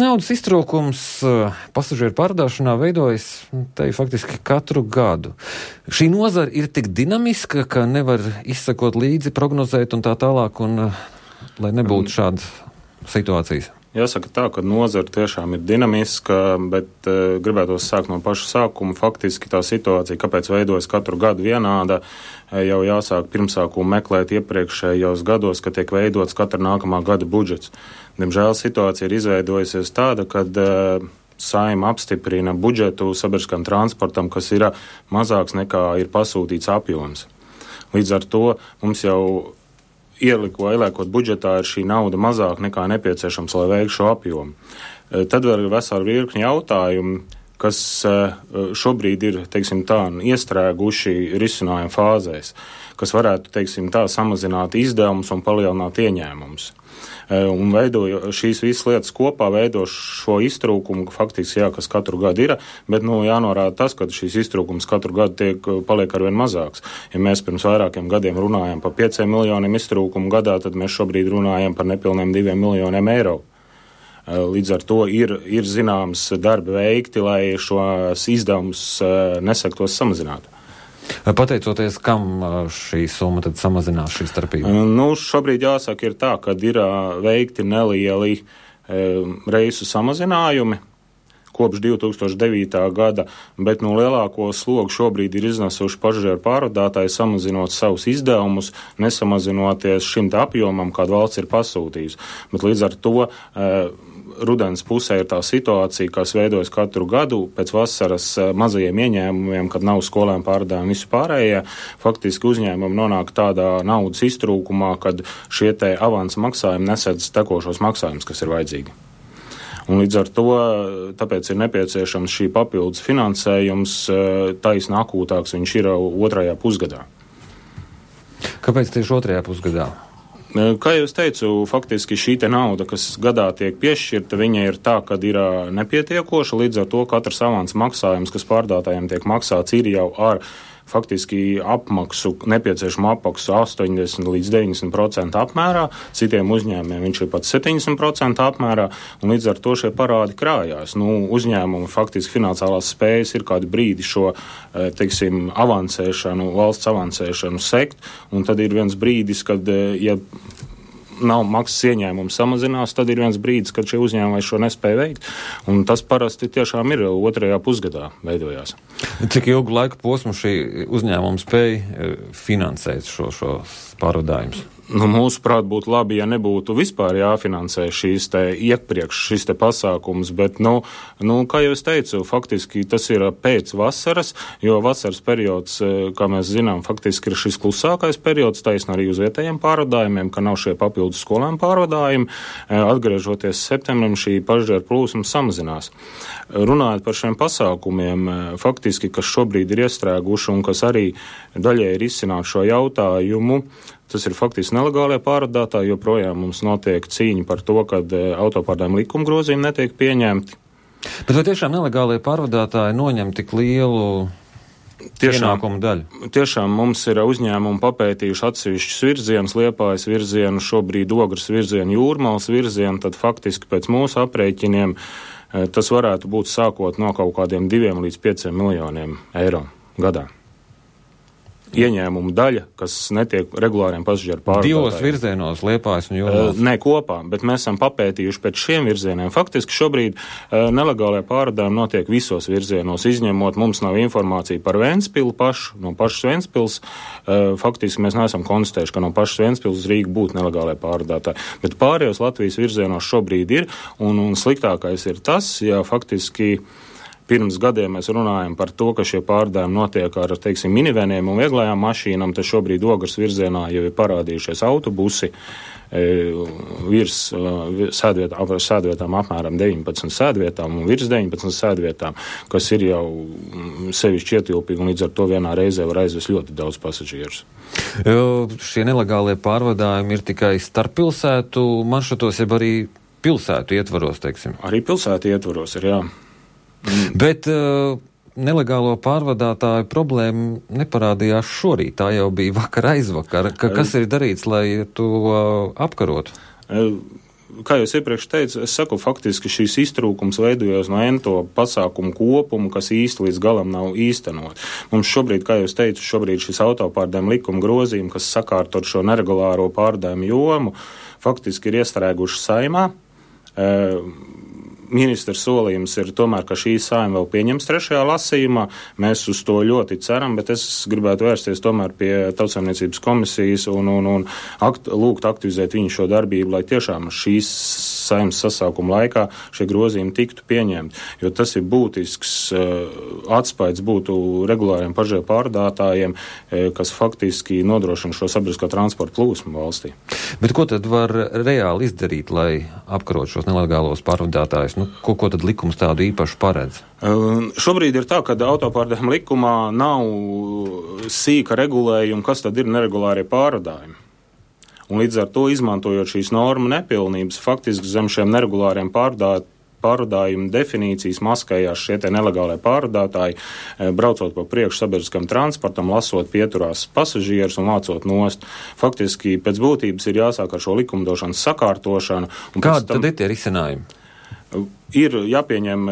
Naudas iztrūkums pasažieru pārvadāšanā veidojas te faktiski katru gadu. Šī nozara ir tik dinamiska, ka nevar izsekot līdzi, prognozēt un tā tālāk, un lai nebūtu šādas situācijas. Jāsaka tā, ka nozara tiešām ir dinamiska, bet gribētos sākt no paša sākuma. Faktiski tā situācija, kāpēc veidojas katru gadu vienāda, jau jāsāk pirmsākumu meklēt iepriekšējos gados, kad tiek veidots katra nākamā gada budžets. Diemžēl situācija ir izveidojusies tāda, kad Saeima apstiprina budžetu sabiedriskam transportam, kas ir mazāks nekā ir pasūtīts apjoms. Līdz ar to mums jau ieliekot budžetā ir šī nauda mazāk nekā nepieciešams, lai veiktu šo apjomu. Tad vēl ir vesela virkni jautājumu, kas šobrīd ir, teiksim tā, iestrēguši risinājumu fāzēs, kas varētu, teiksim tā, samazināt izdevumus un palielināt ieņēmumus. Un šīs visas lietas kopā veido šo iztrūkumu, faktiski, jā, kas katru gadu ir, bet, jānorāda tas, ka šīs iztrūkums katru gadu paliek arvien mazāks. Ja mēs pirms vairākiem gadiem runājam par 5 miljoniem iztrūkumu gadā, tad mēs šobrīd runājam par nepilniem 2 miljoniem eiro. Līdz ar to ir zināms darbi veikti, lai šos izdevumus nesaktos samazināt. Pateicoties, kam šī summa tad samazinās šī starpība? Šobrīd jāsaka ir tā, ka ir veikti nelieli reisu samazinājumi kopš 2009. gada, bet lielāko slogu šobrīd ir iznesuši pasažieru pārvadātāji, samazinot savus izdevumus, nesamazinoties šim apjomam, kādu valsts ir pasūtījusi. Bet līdz ar to rudens pusē ir tā situācija, kas veidojas katru gadu pēc vasaras mazajiem ieņēmumiem, kad nav skolēm pārvadājumi visu pārējie. Faktiski uzņēmumi nonāk tādā naudas iztrūkumā, kad šie te avansa maksājumi nesedz tekošos maksājumus, kas ir vajadzīgi. Un līdz ar to tāpēc ir nepieciešams šī papildus finansējums, taisni akūtāks viņš ir otrajā pusgadā. Kāpēc tieši otrajā pusgadā? Kā jau es teicu, faktiski šī te nauda, kas gadā tiek piešķirta, viņa ir tā, kad ir nepietiekoša, līdz ar to katrs avans maksājums, kas pārdātājiem tiek maksāts, ir jau ar faktiski nepieciešamu apmaksu 80 līdz 90% apmērā, citiem uzņēmumiem viņš ir pat 70% apmērā, un līdz ar to šie parādi krājās. Uzņēmumi faktiski finansiālās spējas ir kādu brīdi šo, teiksim, valsts avansēšanu sekt, un tad ir viens brīdis, kad, ja nav maksas ieņēmumi samazinās, tad ir viens brīdis, kad šie uzņēmumi šo nespēja veikt, un tas parasti tiešām ir otrajā pusgadā veidojās. Cik ilgu laiku posmu šī uzņēmuma spēja finansēt šos pārvadājumus? Mūsuprāt, būtu labi, ja nebūtu vispār jāfinansē šīs te pasākums, bet, kā jau es teicu, faktiski tas ir pēc vasaras, jo vasaras periods, kā mēs zinām, faktiski ir šis klusākais periods, taisn arī uz vietējiem pārvadājumiem, ka nav šie papildus skolēm pārvadājumi. Atgriežoties septembrim, šī pasažieru plūsma samazinās. Runājot par šiem pasākumiem, faktiski, kas šobrīd ir iestrēguši un kas arī daļai ir izcināt šo jautājumu, tas ir faktiski nelegālie pārvadātāji, joprojām mums notiek cīņa par to, kad autopārdājuma likuma grozījumi netiek pieņemti. Bet vai tiešām nelegālie pārvadātāji noņem tik lielu ienākumu daļu? Tiešām mums ir uzņēmumi papētījuši atsevišķus virzienus, Liepājas virzienu, šobrīd Ogres virzienu, Jūrmalas virzienu, tad faktiski pēc mūsu aprēķiniem tas varētu būt sākot no kaut kādiem 2 līdz 5 miljoniem eiro gadā. Ieņēmumu daļa, kas netiek regulāriem pasažieru pārvadātājiem. 2 virzienos, Liepājas un Jūrmalas? Ne kopā, bet mēs esam papētījuši pēc šiem virzieniem. Faktiski šobrīd nelegālie pārvadājumi notiek visos virzienos, izņemot mums nav informācija par Ventspilu pašu, no pašas Ventspils. Faktiski mēs neesam konstatējuši, ka no pašas Ventspils uz Rīgu būtu nelegālie pārvadātāji. Bet pārējos Latvijas virzienos šobrīd ir, un sliktākais ir tas, ja faktiski pirms gadiem mēs runājam par to, ka šie pārvadājumi notiek ar, teiksim, miniveniem un vieglajām mašīnām, tad šobrīd Ogres virzienā jau ir parādījušies autobusi virs sēdvietām apmēram 19 sēdvietām un virs 19 sēdvietām, kas ir jau sevišķi ietilpīgi un līdz ar to vienā reizē var aizvest ļoti daudz pasažierus. Šie nelegālie pārvadājumi ir tikai starppilsētu maršrutos, jeb arī pilsētu ietvaros, teiksim? Arī pilsētu ietvaros ir, jā. Bet nelegālo pārvadātāju problēma neparādījās šorīt, tā jau bija vakar aizvakar. Kas ir darīts, lai to apkarotu? kā jau es iepriekš teicu, es saku, faktiski šīs iztrūkums veidojās no ento pasākumu kopumu, kas īsti līdz galam nav īstenot. Mums šobrīd, kā jau es teicu, šis autopārdējumu likuma grozījumi, kas sakārtot šo neregulāro pārdējumu jomu, faktiski ir iestrēguši Saeimā. Ministra solījums ir tomēr, ka šī Saeima vēl pieņems 3. lasījumā. Mēs uz to ļoti ceram, bet es gribētu vērsties tomēr pie Tautsaimniecības komisijas un lūgt aktivizēt viņu šo darbību, lai tiešām šīs Saeimas sasaukuma laikā šie grozījumi tiktu pieņemti. Jo tas ir būtisks atspaids būtu regulāriem pasažieru pārvadātājiem, kas faktiski nodrošina šo sabiedriskā transporta plūsmu valstī. Bet ko tad var reāli izdarīt, lai apkarot šos nelegālos pārvadātājus? Ko tad likums tādu īpašu paredz? Šobrīd ir tā, ka autopārdējumu likumā nav sīka regulējuma, kas tad ir neregulārie pārvadājumi. Un līdz ar to, izmantojot šīs normu nepilnības, faktiski zem šiem neregulāriem pārvadājumu definīcijas maskējās šie te nelegālie pārvadātāji, braucot pa priekšu sabiedriskam transportam, lasot pieturās pasažierus un vācot nost. Faktiski pēc būtības ir jāsāk ar šo likumdošanas sakārtošanu. Kādi tad ir tie risinājumi? Ir jāpieņem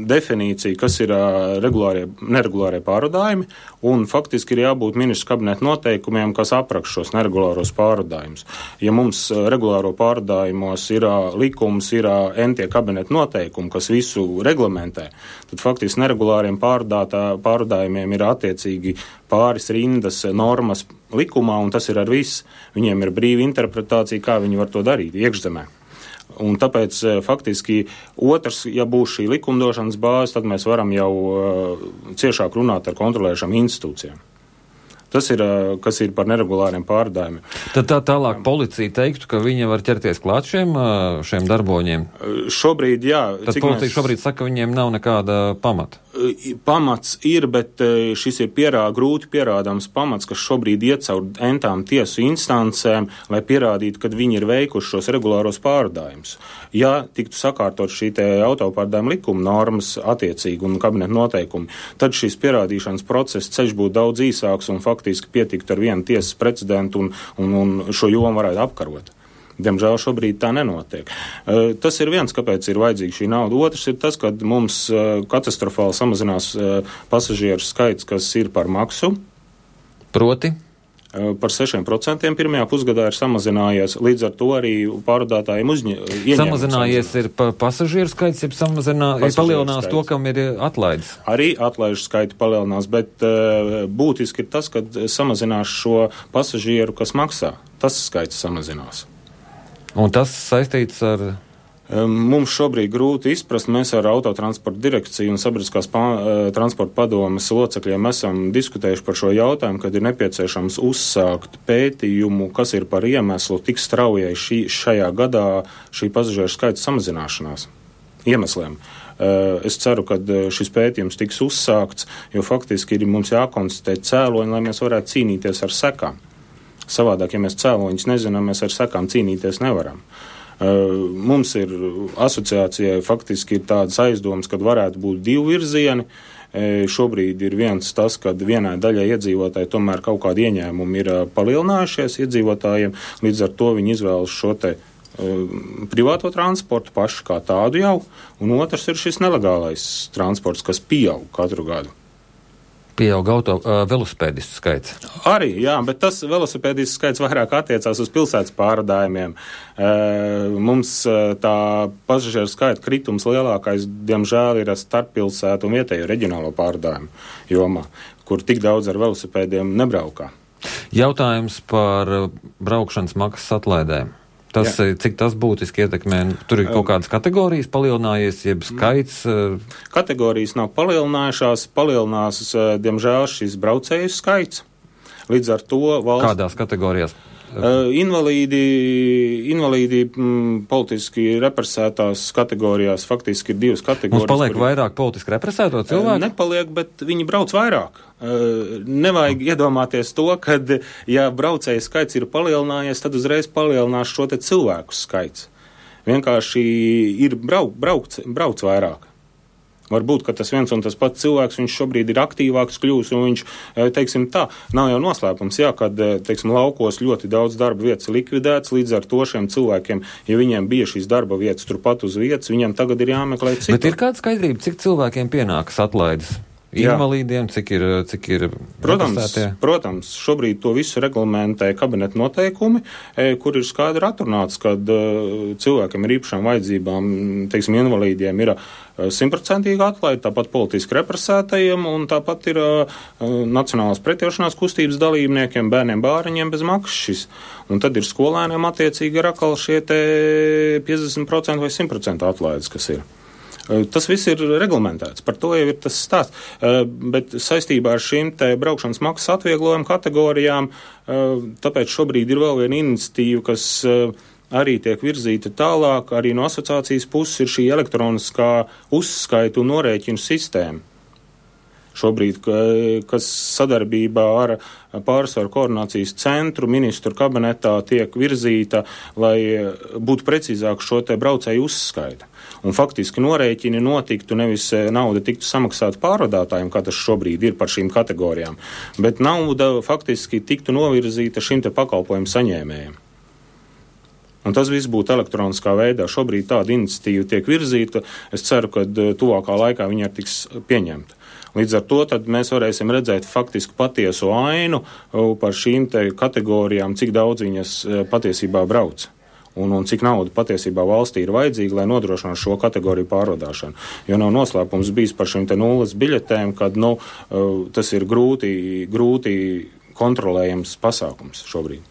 definīcija, kas ir neregulārie pārvadājumi, un faktiski ir jābūt ministru kabineta noteikumiem, kas apraksta šos neregulāros pārvadājumus. Ja mums regulāro pārvadājumos ir likums, ir entie kabineta noteikumi, kas visu reglamentē, tad faktiski neregulāriem pārvadājumiem ir attiecīgi pāris rindas normas likumā, un tas ir ar viss. Viņiem ir brīva interpretācija, kā viņi var to darīt iekšzemē. Un tāpēc faktiski otrs, ja būs šī likumdošanas bāze, tad mēs varam jau ciešāk runāt ar kontrolējušām institūcijām. Tas ir, kas ir par neregulāriem pārvadājumiem. Tad tālāk policija teiktu, ka viņa var ķerties klāt šiem darboņiem? Šobrīd, jā. Tad policija šobrīd saka, ka viņiem nav nekāda pamata. Pamats ir, bet šis ir grūti pierādāms pamats, kas šobrīd iet caur entām tiesu instancēm, lai pierādītu, ka viņi ir veikuši šos regulāros pārvadājumus. Ja tiktu sakārtot šī te autopārdējuma likuma normas attiecīgi un kabineta noteikumi, tad šis pierādīšanas process ceļš būtu daudz īsāks un faktiski pietiktu ar vienu tiesas precedentu un šo jomu varētu apkarot. Diemžēl šobrīd tā nenotiek. Tas ir viens, kāpēc ir vajadzīga šī nauda. Otrs ir tas, ka mums katastrofāli samazinās pasažieru skaits, kas ir par maksu. Proti? Par 6% pirmajā pusgadā ir samazinājies, līdz ar to arī pārvadātājiem samazinājies ir pasažieru skaits, ir palielinās to, kam ir atlaidis. Arī atlaižu skaiti palielinās, bet būtiski ir tas, ka samazinās šo pasažieru, kas maksā. Tas skaits samazinās. Un tas saistīts ar? Mums šobrīd grūti izprast. Mēs ar Autotransporta direkciju un Sabiedriskās transporta padomes locekļiem esam diskutējuši par šo jautājumu, kad ir nepieciešams uzsākt pētījumu, kas ir par iemeslu tik straujai šajā gadā šī pasažieru skaita samazināšanās iemesliem. Es ceru, ka šis pētījums tiks uzsākts, jo faktiski ir mums jākonstatē cēloņi, lai mēs varētu cīnīties ar sekām. Savādāk, ja mēs cēloņus nezinām, mēs ar sekām cīnīties nevaram. Mums ir asociācijai faktiski ir tādas aizdomas, kad varētu būt divi virzieni. Šobrīd ir viens tas, kad vienai daļai iedzīvotāji tomēr kaut kādi ieņēmumi ir palielinājušies iedzīvotājiem, līdz ar to viņi izvēlas šo te privāto transportu paši kā tādu jau, un otrs ir šis nelegālais transports, kas pieaug katru gadu. Pieaug velosipēdistu skaits. Arī, jā, bet tas velosipēdistu skaits vairāk attiecās uz pilsētas pārvadājumiem. Mums tā pasažieru skaita kritums lielākais, diemžēl, ir starppilsētu un vietējo reģionālo pārvadājumu jomā, kur tik daudz ar velosipēdiem nebraukā. Jautājums par braukšanas maksas atlaidēm. Cik tas būtiski ietekmē? Tur ir kaut kādas kategorijas palielinājies, jeb skaits? Kategorijas nav palielinājušās, palielinās, diemžēl, šis braucēju skaits. Līdz ar to valsts... Kādās kategorijās? Invalīdi politiski represētās kategorijās faktiski ir divas kategorijas. Mums paliek vairāk politiski represēto cilvēku? Nepaliek, bet viņi brauc vairāk. Nevajag iedomāties to, ka, ja braucēju skaits ir palielinājies, tad uzreiz palielinās šo te cilvēku skaits. Vienkārši ir brauc vairāk. Varbūt, ka tas viens un tas pats cilvēks, viņš šobrīd ir aktīvāks kļūs, un viņš, teiksim tā, nav jau noslēpums, jā, kad, teiksim, laukos ļoti daudz darba vietas likvidēts, līdz ar to šiem cilvēkiem, ja viņiem bija šīs darba vietas turpat uz vietas, viņiem tagad ir jāmeklē citu. Bet ir kāda skaidrība, cik cilvēkiem pienākas atlaides? Invalīdiem, cik ir Protams, šobrīd to visu reglamentē kabineta noteikumi, kur ir skaidri atrunāts, kad cilvēkiem ar īpašām vajadzībām, teiksim, invalīdiem ir 100% atlaide, tāpat politiski represētajiem, un tāpat ir nacionālās pretiešanās kustības dalībniekiem, bērniem bāriņiem bez maksas šis. Un tad ir skolēniem attiecīgi ir atkal šie te 50% vai 100% atlaides, kas ir. Tas viss ir reglamentēts, par to jau ir tas stāsts, bet saistībā ar šīm te braukšanas maksas atvieglojumu kategorijām, tāpēc šobrīd ir vēl viena iniciatīva, kas arī tiek virzīta tālāk, arī no asociācijas puses ir šī elektroniskā uzskaita un norēķinu sistēma. Šobrīd, kas sadarbībā ar pārsvaru koordinācijas centru ministru kabinetā tiek virzīta, lai būtu precīzāk šo te braucēju uzskaita. Un faktiski norēķini notiktu, nevis nauda tiktu samaksāta pārvadātājiem, kā tas šobrīd ir par šīm kategorijām, bet nauda faktiski tiktu novirzīta šim te pakalpojumu saņēmējiem. Un tas viss būtu elektroniskā veidā. Šobrīd tāda iniciatīva tiek virzīta. Es ceru, ka tuvākā laikā viņa tiks pieņemta. Līdz ar to tad mēs varēsim redzēt faktiski patiesu ainu par šīm te kategorijām, cik daudz viņas patiesībā brauc. Un cik nauda patiesībā valstī ir vajadzīga, lai nodrošinātu šo kategoriju pārvadāšanu. Jo nav noslēpums bijis par šīm te nulles biļetēm, kad tas ir grūti kontrolējams pasākums šobrīd.